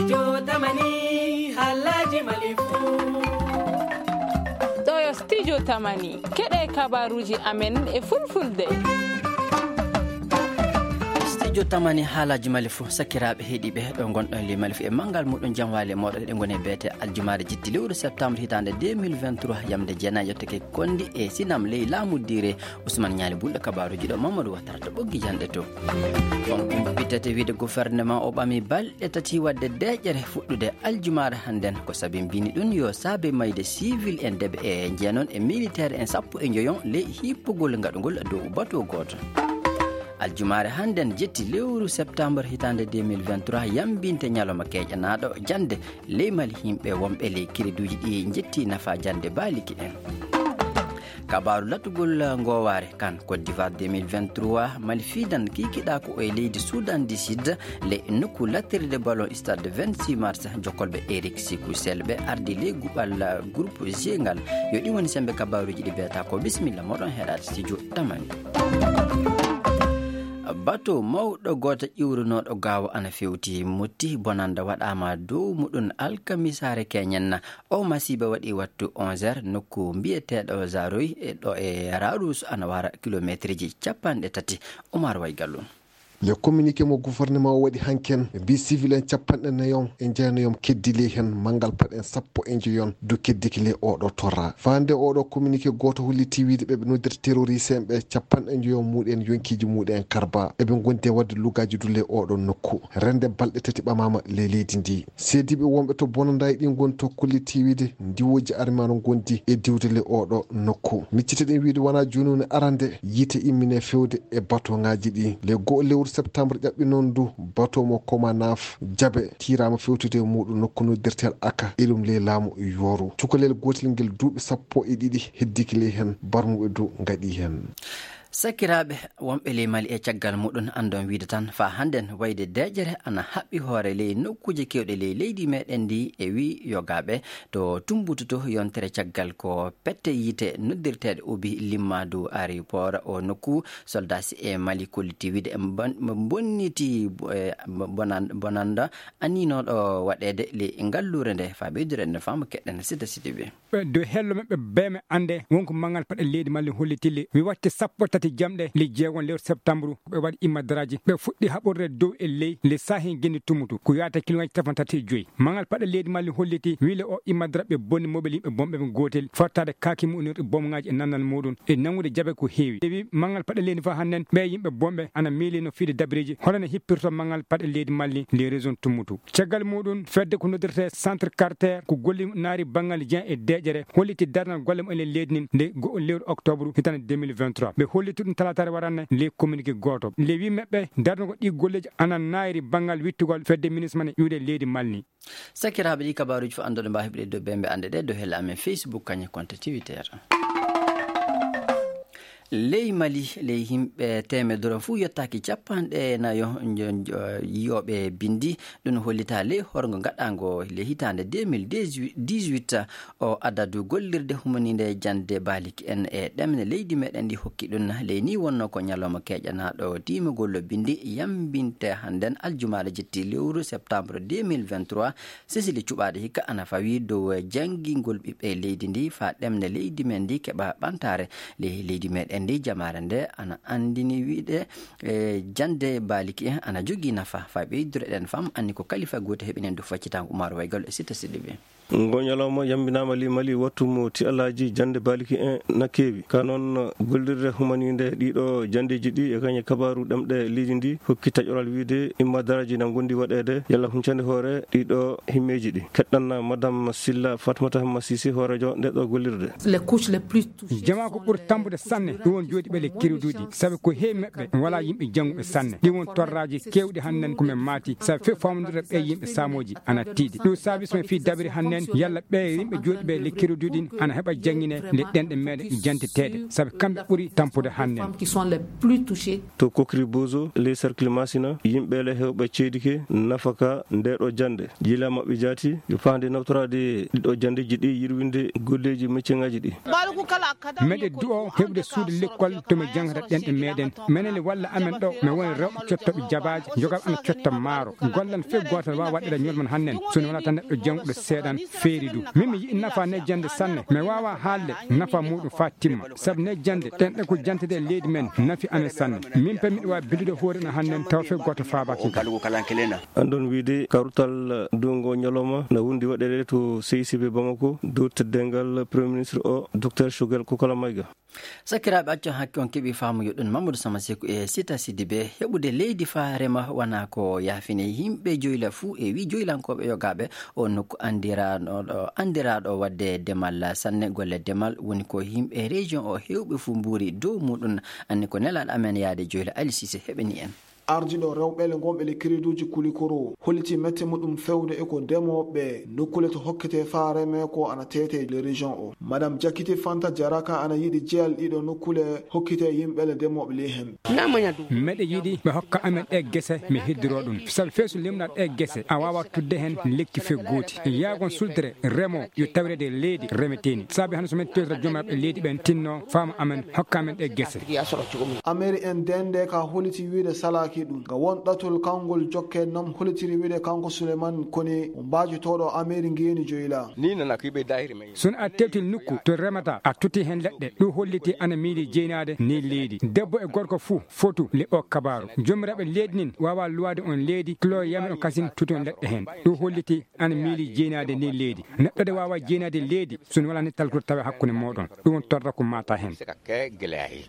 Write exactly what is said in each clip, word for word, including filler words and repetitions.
Studio Tamani, haalaaji Mali fuu. Ɗo yo Studio Tamani, keɗee kabaaruuji amen e Fulfulde. Studio Tamani, haalaaji Mali fuu, sakiraaɓe heɗiiɓe, ɗo ngonɗon ley Mali fuu e manngal muuɗum, jam waali e mooɗon, eɗen ngoni e beete aljumaare jetti lewru septembre hitaande deux mille vingt-trois, yamde jeenayi yottake konndi e sinam ley laamu diire. Usman Ñaali Bulɗo, kabaaruuji ɗo, Mamadou Watara to ɓoggi janɗe to. On kumpitate wiide gouvernement o ɓami balɗe tati waɗde deeƴere fuɗɗude aljumaare hannden. Ko sabi mbini ɗum yo saabe mayde civil en deeɓe e jeenon e militaire en sappo e njoyon ley hippugol ngaɗugol dow bato gooto. Aljumaare hannden jetti lewru septembre hitaande deux mille vingt-trois yambinte ñalawma keeƴanaaɗo jannde ley Mali, yimɓe wonɓe ley kereduuji ɗi njetti nafa jannde baaliki en. Kabaaru latugol ngoowaare kan Côte d'Ivoire deux mille vingt-trois, Mali fiidan kiikiɗaa ko e leydi Soudan du Sud, ley nokku lattirde ballon stade vingt-six mars, jokkolɓe Eric Sikusel ɓe ardi ley guɓal groupe G ngal. Yo ɗi woni sembe kabaaruuji ɗi beetaa ko. Bisimilla mooɗon heɗaade studio Tamani. Bato mawɗo gooto ƴiwrunooɗo gaawo ana fewti, mutti, bonannda waɗaama dow muɗum alkamisaare keñen. Oo masiiba waɗi wattu onze heures nokku mbiyeteeɗo Zaroy, e ɗo e Raarus, ana wara kilomeeterji cappanɗe tati. Omar Waygallu. Le communiqué mo gouvernement o waɗi hanken, ɓe mbii civil en cappanɗe nayon e jeenayon keddi ley hen, manngal paɗen sappo e njoyon du keddiki ley ooɗoo torra. Faa hannde ooɗoo communiqué gooto hollitii wiide ɓe ɓe noddirta terroriste en ɓe, cappanɗe njoyon muuɗum en yonkiiji muuɗum en karbaa. Eɓe ngondi e waɗde lugaaji du ley ooɗoo nokku. Rende balɗe tati ɓamaama ley leydi ndii. Seediiɓe wonɓe to bonandaaji ɗii ngoni to kolliti wiide ndiwooji armée ana ngondi e diwde ley ooɗoo nokku. Miccitaɗen wiide wanaa jooni woni arande yiite immine fewde e batooŋaaji ɗii. Le go'o lewru septembre ƴaɓɓi noon du batoo mo Komanaf Jabe tiiraama fewtude e muuɗum nokku noddirteeɗo Aka, iɗum ley laamu Yooru. Cukalel gootel ngel duuɓi sappo e ɗiɗi heddike ley heen, barmuɓe du ngaɗii heen. Sakiraaɓe wonɓe ley Mali e caggal muɗum, anndon wiide tan faa hannden wayde deeƴere ana haɓɓi hoore ley nokkuuje keewɗe ley leydi meɗen ndi, e wii yogaaɓe to Tumbutu to yontere caggal ko pette yiite noddirteeɗe ubi limmaadu aéroport o nokku. Soldaaji e Mali kolliti wiide ɓe mbon-, ɓe mbonniti, eh, bonan-, bonannda aniinooɗo waɗeede ley ngalluure nde. Faa ɓeydude en faamu keɗen Sida Sidibe. Ɓe dow hello maɓɓe bee maɓɓe annde wonko manngal paɗe leydi Mali holliti le wi watte sappo tati jamɗe le jeegon lewru septambru, ɓe waɗi immadaraaji, ɓe fuɗɗi haɓorde dow e ley le saahi genndi Tumbutu, ko yaata kilomètre cappanɗe tati e joy. Manngal paɗe leydi Mali holliti wi le o immadara ɓe bonni mobel yimɓe bonɓe ɓe gootel, fortaade kaaki mu'unirɗi bomŋaaji e nannal muɗum e nanngude jabe ko heewi. Ɓe wi manngal paɗe leydi fof hannden ɓe yimɓe bonɓe ana miilino fiide dabareeji hono no hippirto manngal paɗe leydi Mali le région Tumbutu. Caggal muɗum, fedde ko noddirtee Centre Carter, ko golli naari banngal jeyan e deeƴere, holliti darnal golle mum e leydi ndin nde go'o lewru octobre hitande deux mille vingt-trois. Ɓe holliti ɗum talaataare waranne ley communiqué gooto. Le wii maɓɓe, darnugol ɗii golleeji ana naayri banngal wittugol fedde ministre man e iwde leydi Mali. Sakiraaɓe, ɗii kabaaruuji fof annduɓe mbaawi heɓude dow bembe annde ɗe dow helle amen Facebook, kañum e compte Twitter. Ley Mali, ley yimɓe teemedere fuu yottaaki cappanɗe nayo njo-, njo-, yiyooɓe binndi. Ɗum hollitaa ley horgo gaɗaango ley hitaande deux mille dix-huit. O adadu gollirde humaniinde jannde baaliki en e ɗemɗe leydi meɗen ndi hokki ɗum. Ley nii wonnoo ko ñalawma keeƴanaaɗo diimagol binndi yambinte hannden aljumaare jetti lewru septembre deux mille vingt-trois. Sesili cuɓaaɗo hikka ana fawii dow janngingol ɓiɓɓe leydi ndii faa ɗemɗe leydi men ndii keɓa ɓamtaare. Ley leydi meɗen ndii, jamaare nde ana anndini wiide, e, jannde baaliki en ana jogii nafa. Faa ɓeydude ɗen fam, anni ko kalifa gooto heɓinen du faccitaango Umaru Waygal e Sita Sidibe. Ngo ñalawma yambinaama ley Mali wattu mo ti'alaaji jannde baaliki en na keewi. Ka noon gollirde humaniinde ɗiiɗo janndeeji ɗi e kañe kabaaru ɗemɗe leydi ndi hokki taƴoral wiide immadaraaji na ngondi waɗeede yalla huncande hoore ɗiiɗo himmeeji ɗi. Keɗɗan Madame Silla Fatmata Hamma Sise, hooreejo nde ɗo gollirde. Les couches les plus touchées. Jamaa ko ɓuri tampude sanne, ɗum won jooɗiiɓe ley kereduuji, sabi ko heewi maɓɓe walaa yimɓe jannguɓe sanne. Ɗi won torraaji keewɗi hannden ko men maati, sabi few faamondire ɓee yimɓe saamooji ana tiiɗi. Ɗum saabi so men fii dabiri hannden, yalla ɓee yimɓe jooɗiiɓe ley kereduuji ɗin ana heɓa janngine nde ɗenɗe meɗen janteteeɗe, sabi kamɓe ɓuri tampude hannden. Femmes qui sont les plus touchées. To Kokri Bozo, ley cercle Masina, yimɓe le heewɓe ceedike nafaka nde ɗo jannde. Jila maɓɓe jaati, yo faande nawtoraade ɗiɗo janndeeji ɗi, yirwinde golleeji mecceŋaaji ɗi. Meɗe du'o heɓude suudu lekkol to mi janngata ɗenɗe meeɗen. Menen le walla amen ɗo, mi woni rewɓe cottooɓe jabaaji, jogaaɓe ana cotta maaro. Gollan fee gooto waawa waɗde ñolman hannen, so mi walaa tan neɗɗo jannguɗo seeɗan feeri du. Min mi yiɗi nafa ne jannde sanne, mi waawa haalde nafa muuɗum faa timma. Sabu ne jannde, ɗenɗe ko jantede e leydi men, nafi amen sanne. Min pe miɗo waawi billude hoore na hannen, taw fee gooto faabaaki ngal. An ɗon wiide kawrutal duungo ñalawma na wondi waɗeede to C I C B Bamako, dow teddeengal Premier Ministre o, Docteur Choguel Kokola Maïga. Sakiraaɓe, accon hakke on keɓii faamuyo ɗun Mamadou Sama Seku e Sita Sidibe. Heɓude leydi faa rema wanaa ko yaafine. Yimɓe Joyla fuu e wii joylankooɓe yogaaɓe oo nokku anndiraaɗo, anndiraaɗo waɗde demal sanne. Golle demal woni ko yimɓe région oo heewɓe fuu mbuuri dow muuɗun. Anni ko nelaaɗo amen yaade Joyla, Ali Sise, heɓani en. Ardiiɗo rewɓe le ngonɓe le crédit uji Kulikoro holliti mette muɗum fewde e ko ndemooɓe nokkuule to hokkete faa remee ko ana teetee le région o. Madame Jakite Fanta Jaraka ana yiɗi jeyal ɗiɗo nokkuule hokkite yimɓe le ndemooɓe ley hen. Meɗe yiɗi ɓe hokka amen ɗe gese, mi heddiroo ɗum. Sabu fee so limɗa ɗe gese, a waawa tudde hen lekki fee gooti. Yaagon sultere remo yo tawirede leydi remeteeni. Sabi hannde so men tewtira joomiraaɓe leydi ɓen tinno faama amen hokka amen ɗe gese. Ameri en dende ka holiti wiide salaaki ɗum. Nga won ɗatul kangol jokke nam holitiri wiide kanko Suleiman Kone, o mbaajotooɗo Ameri ngeeni joyla. Ni nana ko yiɓe dahiri men. Sun a tewti nukku to remata, a tuti hen leɗɗe. Ɗum holliti ana miili jeynaade ni leydi. Debbo e gorko fuu fotu le o kabaaru. Joomiraaɓe leydi nin waawa luwaade on leydi, kilo yami on kasin tuti on leɗɗe hen. Ɗum holliti ana miili jeynaade ni leydi. Neɗɗo de waawa jeynaade leydi, so wonaa ni talkude tawa hakkunde mooɗon. Ɗum on torra ko mata hen.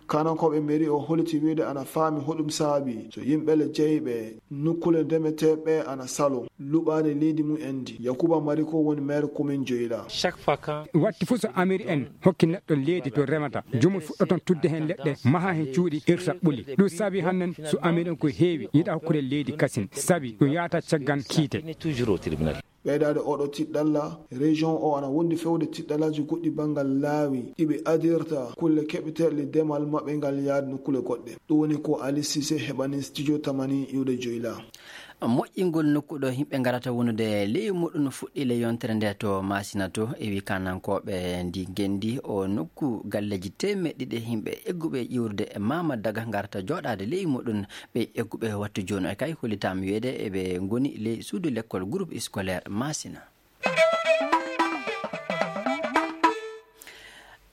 Kanankooɓe meri o holiti wiide ana faami hoɗum saabi so yimɓe le jeyɓe nukkuule ndemeteeɓe ana salo luɓaade leydi mum en ndi. Yakuba Mariko woni maire commune Joyla. Watti fuu so amiri en hokki neɗɗo leydi to remata, jomum fuɗɗoton tudde hen leɗɗe, maha hen cuuɗi, irta ɓuli. Ɗum saabi hannen so amiri en ko heewi yiɗa hokkude leydi kasin, sabi ɗum yahata caggan kiite. Ɓeydaade oɗo tiɗɗalla, région o ana wondi fewde tiɗɗallaaji goɗɗi banngal laawi ɗi ɓe adirta kulle keɓeteeɗe demal maɓɓe ngal yaade nokkuule goɗɗe. Ɗum woni ko Ali Sise heɓani studio Tamani iwde Joyla. Moƴƴingol nokku ɗo yimɓe ngarata wonude ley muɗum fuɗɗii le yontere nde to Masina to, e wii kanankooɓe ndi ngenndi. O nokku galleeji teemeɗɗe ɗiɗi yimɓe egguɓe iwrude e Maama Daga ngarata jooɗaade ley muɗum. Ɓe egguɓe wattu jooni o kay hollitaama wiyeede eɓe ngoni ley suudu lekkol groupe scolaire Masina.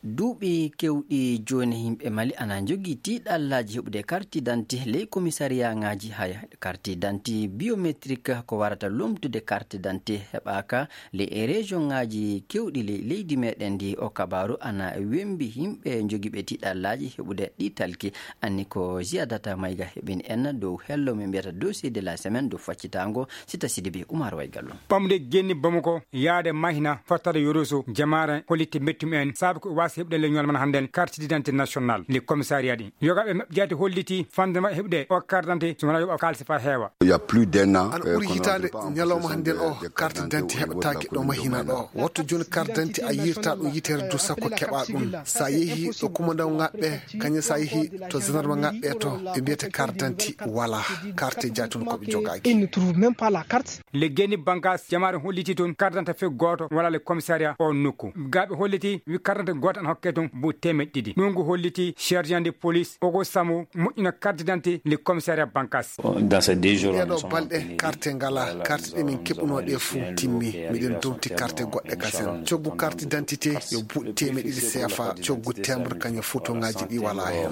Duuɓi keewɗi jooni, yimɓe Mali ana njogii tiiɗallaaji heɓude karti danti ley komisariyaŋaaji haya. Karti danti biometrik ko warata lomtude karti danti heɓaaka ley e rejoŋaaji keewɗi ley leydi meɗen ndi. O kabaaru ana wembi yimɓe njogiiɓe tiiɗallaaji heɓude ɗi talki. Anni ko Ziyadata Mayga heɓini en dow hello mo mbiyata dossier de la semaine dow faccitaango. Sita Sidibe, Umar Waygallo. Ɓamde genni Bamako yaade Mahina fottade Yoroso, jamaare holliti mettum en saabu ko waasi heɓde le ñool man hannden carte d'identité nationale le commissariat ɗi. Yogaaɓe maɓɓe jaati holliti fande maɓɓe heɓde o carte d'identité so wonaa yoɓa kaalisi faa heewa. Il y a plus d'un an, ana ɓuri hitaande ñalawma hannden o carte d'identité heɓataake ɗo Mahina ɗo. Wattu jooni carte d'identité a yiirta ɗum yitere du sakko keɓa ɗum. So a yehi ɗo kumandaw ngaɓɓe, kañum so a yehi to gendarme ngaɓɓe to, ɓe mbiyata carte d'identité walaa. Carte jaati on ko ɓe jogaaki. Ils ne trouvent même pas la carte. Le Guéni Bankass, jamaare holliti toon carte d'identité fee gooto walaa le commissariat o nokku. Gaa ɓe holliti wi carte d'identité gooto ana hokke toon bu teemeɗɗe ɗiɗi. Ɗum ngu holliti sergent de police Ogo Samo moƴƴina carte d'identité le commissariat Bankass. Ɗee ɗoo balɗe carte ngalaa, carte ɗe min keɓunoo ɗee fuu timmi. Miɗen dowti carte goɗɗe kasen. Coggu carte d'identité yo buuɗi teemeɗɗe ɗiɗi C F A, coggu timbre kañum fotoŋaaji ɗi walaa hen.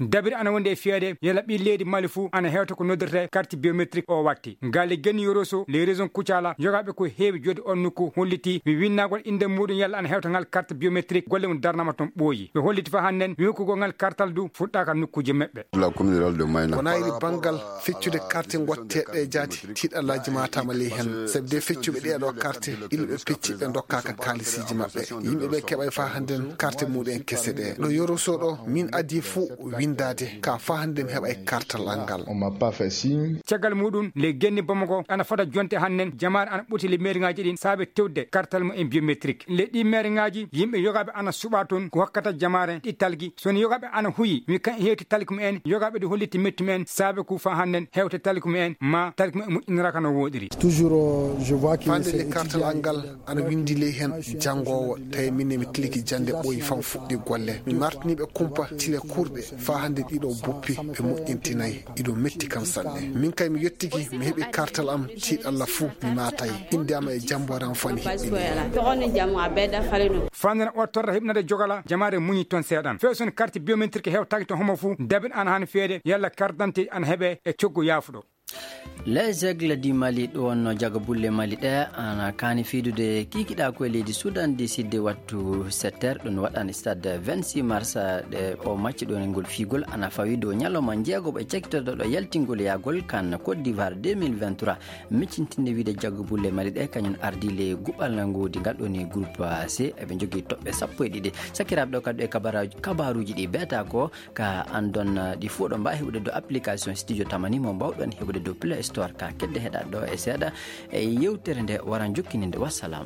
Dabiri ana wondi e fiyeede yalla ɓii leydi Mali fuu ana hewta ko noddirtee carte biométrique o watti. Gaa le Guéni Yoroso, le région Koutiala, yogaaɓe ko heewi jooɗi on nokku holliti wi winndagol innde muuɗum yalla ana hewta ngal carte biométrique, golle mum darnaama toon ɓooyi. Ɓe holliti faa hannden wi hokkugol ngal kartal du fuɗɗaaka nokkuuje maɓɓe. Ko naayiri banngal feccude carte ngotteeɗe jaati, tiiɗallaaji maataama ley hen. Sabi de feccuɓe ɗee ɗoo carte, ila ɓe pecci ɓe ndokkaaka kaalisiiji maɓɓe. Yimɓe ɓe keɓay faa hannden carte muuɗum en kese ɗe. Ɗo Yoroso ɗo, min adii fuu winndaade, kaa faa hannden mi heɓay kartal an ngal. Caggal muuɗum, le Guéni Bamako ana fota jonte hannden, jamaare ana ɓurti le meeriŋaaji ɗin saabe tewde kartal mum en biométrique. Le ɗii meeriŋaaji, yimɓe yogaaɓe ana na suɓaa toon ko hokkata jamaare ɗi talki. So wonii yogaaɓe ana huyi, wi kan e heewti talki mumen, yogaaɓe ɗi holliti metti mumen, saabe ko faa hannden heewte talki mumen, maa talki mumen moƴƴiniraaka no wooɗiri. Faande nde kartal an ngal ana winndi ley heen janngoowo, tawi min ne mi tilki jannde ɓooyi fam fuɗɗi golle. Mi martini ɓe kumpa tile kurɗe, faa hannde ɗiɗo boppi ɓe moƴƴintinay. Iɗo metti kam sanne. Min kay mi yettiki, mi heɓi kartal am, tiiɗalla fuu mi maatay. Innde am e jamboore am fuu ana hiɓɓini. Faande na o torra hiɓnade jogala, jamaare muñi toon seeɗan. Feesun karti biométrique hewtaaki to homo fuu, dabin ana haani feede, yalla kartante ana heɓe e coggu yaafuɗo. Les Aigles du Mali, ɗum wonno jaga bulle Mali ɗe, ana kaani fiidude kiikiɗaa ko e leydi Sudan du Sud wattu sept heures, ɗum waɗani stade vingt-six mars, ɗe o macci ɗon e ngol fiigol, ana fawi dow ñalawma njeegoɓo e cakkitooɗo ɗo yaltingol yaagol kan Côte d'Ivoire deux mille vingt-trois. Miccintinde wiide jaga bulle Mali ɗe, kañum ardi le guɓal ngoodi ngal ɗon e groupe C, eɓe njogii toɓɓe sappo e ɗiɗi. Sakiraaɓe ɗo kadi e kabara-, kabaaruuji ɗi beeta ko, ka anndon, eh, ɗi fuu ɗo mbaawi heɓude dow application Studio Tamani mo mbaawɗon heɓude dow Play Store. Ka kedde heɗa ɗo e seeɗa e yewtere nde wara jokkininde. Wassalam.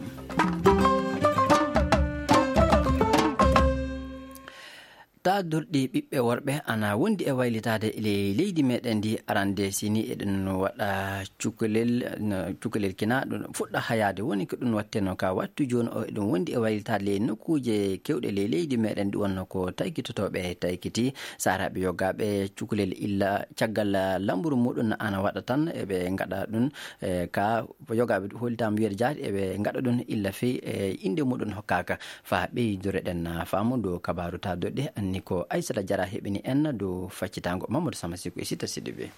Taadorɗi ɓiɓɓe worɓe ana wondi e waylitaade e ley leydi meɗen ndi arande sini eɗen waɗa cukalel, no, cukalel kina ɗum fuɗɗa hayaade. Woni ko ɗum watteno ka wattu jooni o, eɗum wondi e waylitaade ley nokkuuje kewɗe ley leydi meɗen ɗi wonno ko taykitotooɓe taykiti. Saaraaɓe yogaaɓe cukalel illa caggal lamburu muɗum ana waɗa tan eɓe ngaɗa ɗum, e, ka yogaaɓe hollitaama wiyeede jaati eɓe ngaɗa ɗum illa fey, e, innde muɗum hokkaaka. Faa ɓeydore ɗen faamu dow kabaaru taadorɗi anni ko Aysata Jara heɓini en dow faccitaango Mamadou Sama Siko e Sita Sidibé.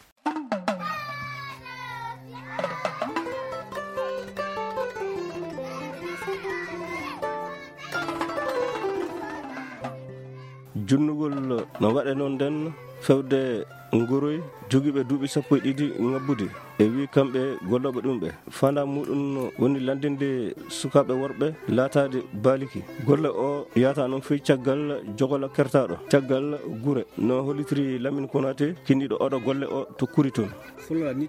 Junnugol no waɗe noon nden fewde nguroy jogiiɓe duuɓi sappo e ɗiɗi ŋabbude. E wii kamɓe gollooɓe ɗum ɓe. Faandaare muɗum woni lanndinde sukaaɓe worɓe laataade baaliki. Golle o yahata noon fey caggal jogola kertaaɗo, caggal gure. No hollitiri Lamine Konaté, kinniiɗo oɗo golle o to Kuri toon. So woni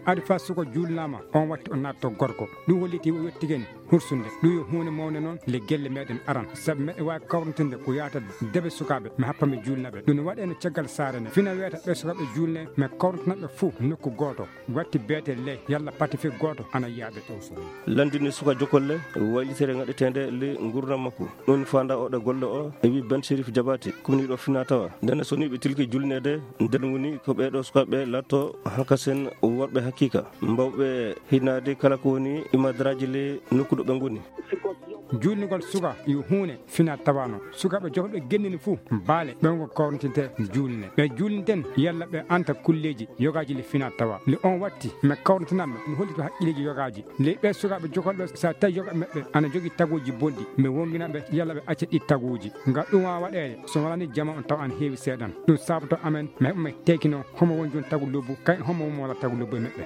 adi faa suka juulnaama, on watti o naatto gorko. Ɗum holliti o yettigen hursunde. Ɗum yo huunde mawnde noon le gelle meɗen aran. Sabu meɗen waawi kawrintinde ko yahata debe sukaaɓe, mi happa mi juulna ɓe. Ɗum no waɗee no caggal saare ne. Fina wiyata ɓe sukaaɓe juulne, mi kawrintina ɓe fuu nokku gooto. Watti beete ley, yalla pati fii gooto ana yiyaɓe. Lanndini suka jokolle, waylitere ngaɗeteende ley ngurndan makko. Ɗum faandaa oɗo golle o, e wii Ben Sherif Jabaate, kumniiɗo finaa tawa. Ndenne so nii ɓe tilki julneede, nden woni ko ɓee ɗoo sukaaɓe laatoo hankasen worɓe hakiika, mbawɓe hinaade kala ko woni imadaraaji ley nokku ɗo ɓe ngoni. Juulnugol suka yo huunde finaa tawa non. Sukaaɓe jogooɓe genndini fuu, baale, ɓe wonko kawrintinte juulne. Ɓe juulniten yalla ɓe anta kulleeji yogaaji le finaa tawa. Le on watti, mi kawrintinaa ɓe, mi hollito haqqilleeji yogaaji. Le ɓee sukaaɓe jogooɓe, so a tawi yogaaɓe maɓɓe ana jogii taguuji bonɗi, mi wonngina ɓe yalla ɓe acca ɗi taguuji. Ngam ɗum waawa waɗeede, so wanaa nii jamaa on tawa ana heewi seeɗan. Ɗum saabotoo amen, mi heɓa mi teekinoo, homo woni jooni tagu lobbu, kay homo woni mo walaa tagu lobbu e maɓɓe.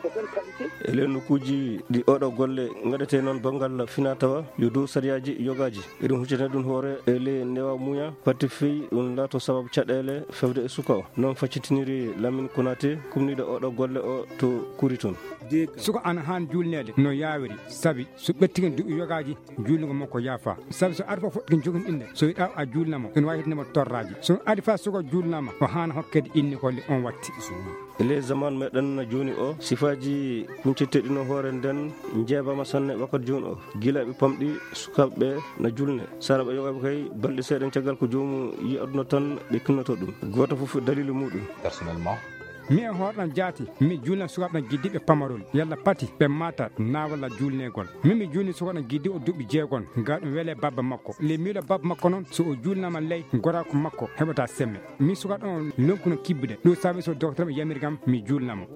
E ley nokkuuji ɗi oɗo golle ngaɗetee noon banngal finaa tawa, yo dow sariyaaji yogaaji. Eɗum huccitana ɗum hoore e ley newa muña, pati fii ɗum laato sababu caɗeele fewde e suka o. Noon faccitiniri Lamine Konaté, kumniiɗo oɗo golle o to Kuri toon. Suka ana haani juulneede no yaawiri, sabi so ɓettigen duuɓi yogaaji, juulnugol makko yaafaa. Sabi so ari fof fof joginɗinde, so yiɗaa a juulna mo, ene waawi heɓde mo torraaji. So adi faa suka juulnaama, o haana hokkeede inni ko le on watti. E ley zaman meɗen jooni o, sifaaji kuncitteeɗi no hoore nden njeebaama sanne wakkati jooni o. Gila ɓe pamɗi sukaaɓe ɓe na julne. Sara ɓe yogaaɓe kay balɗe seeɗa caggal ko joomu yi aduna tan ɓe kinnoto ɗum. Gooto fof daliilu muɗum. Personnellement. Mi e hoore ɗam jaati, mi juulna sukaaɓe ɗam giddiiɓe pamarol. Yalla pati ɓe maata naa walla juulneegol. Min mi juulni sukaaɓe ɗam giddiiɓe duuɓi jeegon. Ngaa ɗum welee baaba makko. Le miiɗo baaba makko noon, so o juulnaama ley, goraaku makko heɓataa semme. Min sukaaɓe on lonkuno kibbude. Ɗum saabi so doktor ɓe yamiri kam, mi juulna mo.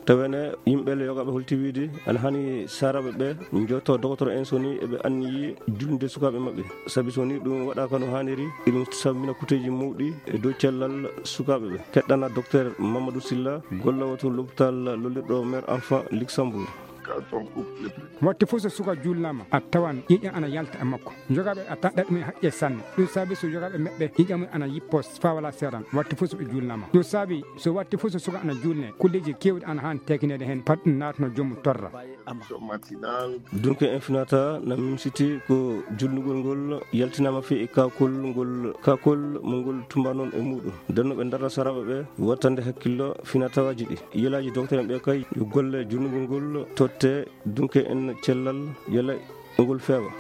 Tawene yimɓe le yogaaɓe holti wiide ana hani saaraaɓe ɓe njotto doktor en so ni eɓe anniyi julnde sukaaɓe maɓɓe. Sabi so ni ɗum waɗaaka no haaniri, eɗum sabbina kuteeji mawɗi e dow cellal sukaaɓe ɓe. Keɗɗana doktor Mamadou Silla, golloowo to lopital lollirɗo Mère Enfant Luxembourg. Waɗti fof so suka juulnaama, a tawan ƴiiƴam ana yalta e makko. Yogaaɓe a tanɗa ɗum e haqqe sanne. Ɗum saabi so yogaaɓe meɓɓe ƴiiƴam mum ana yippoo faa walaa seeran. Waɗti fof so ɓe juulnaama. Ɗum saabi so waɗti fof so suka ana juulnee, kulleeji keewɗi ana haani teekineede heen, fat ɗum naatno joomum torra. Dunke en finata na mimsiti ko julnugol ngol yaltinaama fii e kaakol ngol, kaakol mo ngol tumba noon e muuɗum. Nden no ɓe ndarra saraaɓe ɓe wattande hakkillo finatawaaji ɗi. Yelaaji doktor en ɓe kay yo golle julnugol ngol totte dunke en cellal yela ngol feewa.